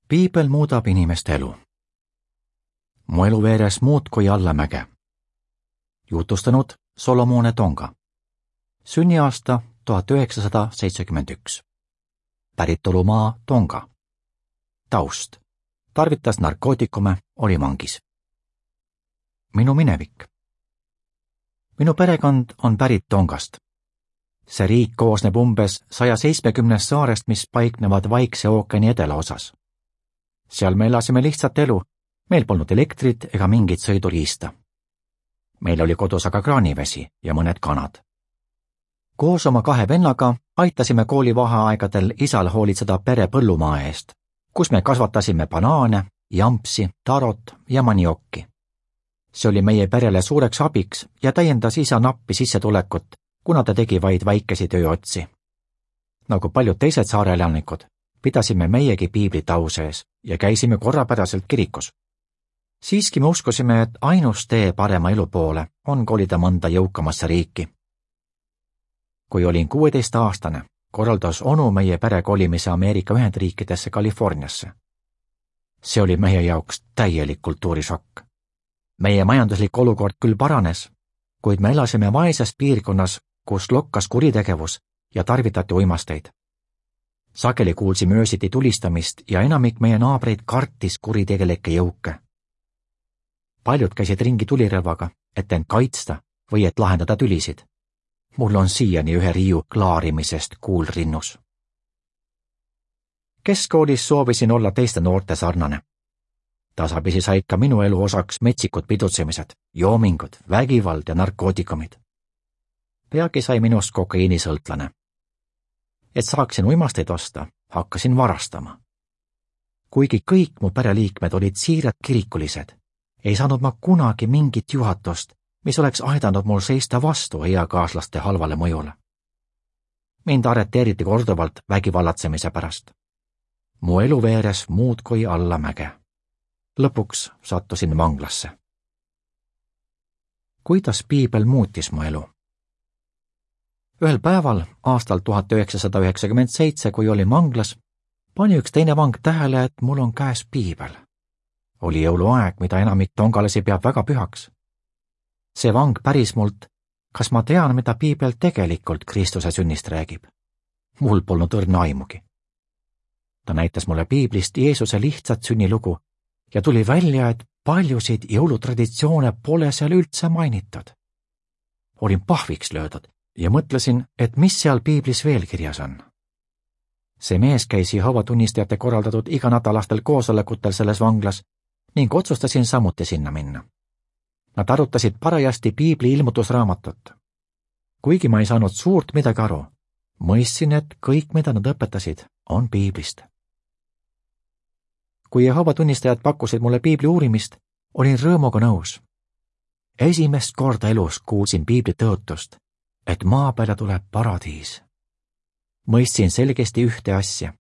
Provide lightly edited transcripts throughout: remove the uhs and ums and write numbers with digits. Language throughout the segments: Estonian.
Piibel muudab inimeste elu. Mu elu veeres muudkui allamäge. Jutustanud Solomone Tonga. Sünniaasta 1971. Päritolumaa Tonga. Taust. Tarvitas narkootikume, oli vangis. Minu minevik. Minu perekond on pärit Tongast. See riik koosneb umbes 170 saarest, mis paiknevad Vaikse ookeani edelaosas. Seal me elasime lihtsat elu, meil polnud elektrit ega mingit sõiduriista. Meil oli kodus aga kraanivesi ja mõned kanad. Koos oma 2 vennaga aitasime koolivaheaegadel isal hoolitseda pere põllumaa eest, kus me kasvatasime banaane, jampsi, tarot ja maniokki. See oli meie perele suureks abiks ja täiendas isa nappi sissetulekut, kuna ta tegi vaid väikesi tööotsi. Nagu paljud teised saare elanikud, pidasime meiegi piiblit au sees ja käisime korrapäraselt kirikus. Siiski me uskusime, et ainus tee parema elu poole on kolida mõnda jõukamasse riiki. Kui olin 16-aastane, korraldas onu meie pere kolimise Ameerika Ühendriikidesse Californiasse. See oli meie jaoks täielik kultuurishokk. Meie majanduslik olukord küll paranes, kuid me elasime vaeses piirkonnas, kus lokkas kuritegevus ja tarvitati uimasteid. Sageli kuulsime öösiti tulistamist ja enamik meie naabreid kartis kuritegelikke jõuke. Paljud käisid ringi tulirelvaga, et end kaitsta või et lahendada tülisid. Mul on siiani ühe riiu klaarimisest kuul rinnus. Keskkoolis soovisin olla teiste noorte sarnane. Tasapisi said ka minu elu osaks metsikud pidutsemised, joomingud, vägivald ja narkootikumid. Peagi sai minust kokaiinisõltlane. Et saaksin uimasteid osta, hakkasin varastama. Kuigi kõik mu pereliikmed olid siirad kirikulised, ei saanud ma kunagi mingit juhatust, mis oleks aidanud mul seista vastu eakaaslaste halvale mõjule. Mind arreteeriti korduvalt vägivallatsemise pärast. Mu elu veeres muudkui allamäge. Lõpuks sattusin vanglasse. Kuidas piibel muutis mu elu? Ühel päeval aastal 1997, kui olin vanglas, pani üks teine vang tähele, et mul on käes piibel. Oli jõuluaeg, mida enamik tongalasi peab väga pühaks. See vang päris mult, kas ma tean, mida piibel tegelikult Kristuse sünnist räägib. Mul polnud õrna aimugi. Ta näitas mulle piiblist Jeesuse lihtsat sünnilugu ja tuli välja, et paljusid jõulutraditsioone pole seal üldse mainitud. Olin pahviks löödud ja mõtlesin, et mis seal piiblis veel kirjas on. See mees käis Jehoova tunnistajate korraldatud iganädalastel koosolekutel selles vanglas ning otsustasin samuti sinna minna. Nad arutasid parajasti piibli ilmutusraamatut. Kuigi ma ei saanud suurt midagi aru, mõistsin, et kõik, mida nad õpetasid, on piiblist. Kui Jehoova tunnistajad pakkusid mulle piibli uurimist, olin rõõmuga nõus. Esimest korda elus kuulsin piibli tõotust, et maa peale tuleb paradiis. Mõistsin selgesti ühte asja.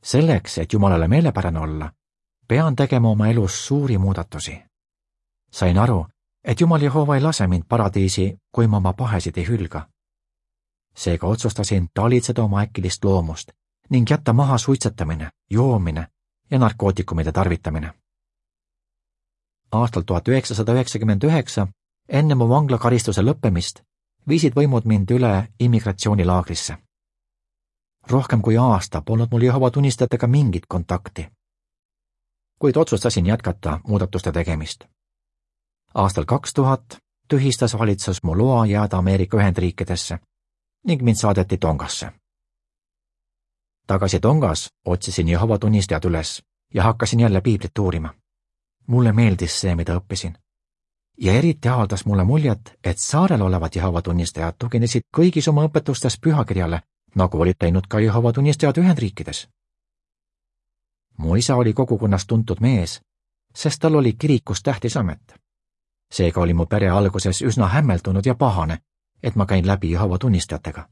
Selleks, et Jumalale meelepärane olla, pean tegema oma elus suuri muudatusi. Sain aru, et Jumal Jehova ei lase mind paradiisi, kui ma oma pahesid ei hülga. Seega otsustasin talitseda oma äkilist loomust ning jätta maha suitsetamine, joomine ja narkootikumide tarvitamine. Aastal 1999, enne mu vanglakaristuse lõppemist, viisid võimud mind üle immigratsioonilaagrisse. Rohkem kui aasta polnud mul Jehova tunnistajatega mingit kontakti. Kuid otsustasin jätkata muudatuste tegemist. Aastal 2000 tühistas valitsus mu loa jääda Ameerika Ühendriikidesse ning mind saadeti Tongasse. Tagasi Tongas otsisin Jehova tunnistajad üles ja hakkasin jälle piiblit uurima. Mulle meeldis see, mida õppisin. Ja eriti avaldas mulle muljet, et saarel olevad Jehova tunnistajad tuginesid kõigis oma õpetustes pühakirjale, nagu olid teinud ka Jehova tunnistajad Ühendriikides. Mu isa oli kogukonnas tuntud mees, sest tal oli kirikus tähtis amet. Seega oli mu pere alguses üsna hämmeldunud ja pahane, et ma käin läbi Jehova tunnistajatega.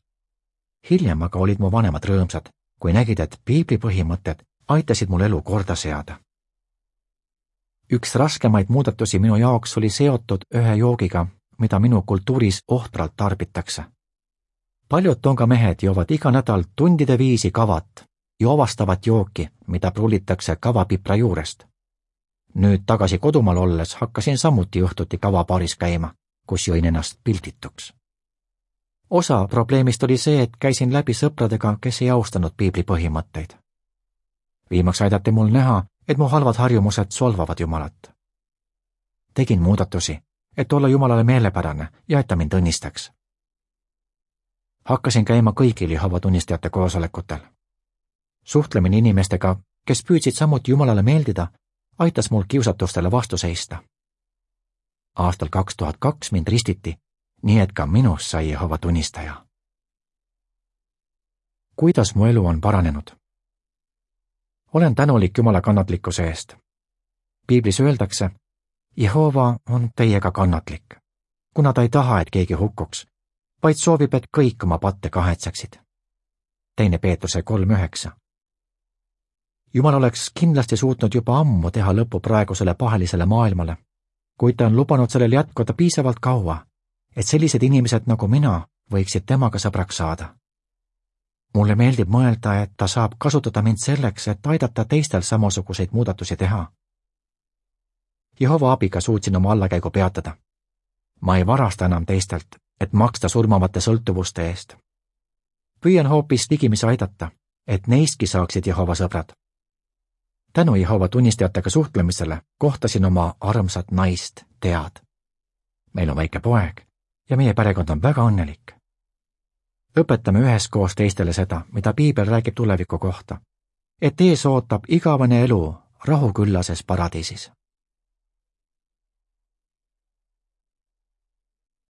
Hiljem aga olid mu vanemad rõõmsad, kui nägid, et piibli põhimõtted aitasid mul elu korda seada. Üks raskemaid muudatusi minu jaoks oli seotud ühe joogiga, mida minu kultuuris ohtralt tarbitakse. Paljud Tonga mehed joovad iga nädal tundide viisi kavat joovastavat jooki, mida prullitakse kavapipra juurest. Nüüd tagasi kodumaal olles hakkasin samuti õhtuti kavapaaris käima, kus jõin ennast pildituks. Osa probleemist oli see, et käisin läbi sõpradega, kes ei austanud piibli põhimõtteid. Viimaks aidati mul näha, et mu halvad harjumused solvavad Jumalat. Tegin muudatusi, et olla Jumalale meelepärane ja et ta mind õnnistaks. Hakkasin käima kõigil Jehova tunnistajate koosolekutel. Suhtlemine inimestega, kes püüdsid samuti Jumalale meeldida, aitas mul kiusatustele vastu seista. Aastal 2002 mind ristiti, nii et ka minust sai Jehova tunnistaja. Kuidas mu elu on paranenud? Olen tänulik Jumala kannatlikkuse eest. Piiblis öeldakse, Jehova on teiega kannatlik, kuna ta ei taha, et keegi hukkuks, vaid soovib, et kõik oma patte kahetseksid. 2. Peetruse 3:9. Jumal oleks kindlasti suutnud juba ammu teha lõpu praegusele pahelisele maailmale, kuid ta on lubanud sellel jätkuda piisavalt kaua, et sellised inimesed nagu mina võiksid temaga sõbraks saada. Mulle meeldib mõelda, et ta saab kasutada mind selleks, et aidata teistel samasuguseid muudatusi teha. Jehova abiga suutsin oma allakäigu peatada. Ma ei varasta enam teistelt, et maksta surmavate sõltuvuste eest. Püüan hoopis ligimisi aidata, et neistki saaksid Jehova sõbrad. Tänu Jehova tunnistajatega suhtlemisele kohtasin oma armsat naist, Tead. Meil on väike poeg ja meie perekond on väga õnnelik. Õpetame üheskoos teistele seda, mida piibel räägib tuleviku kohta, et ees ootab igavene elu rahuküllases paradiisis.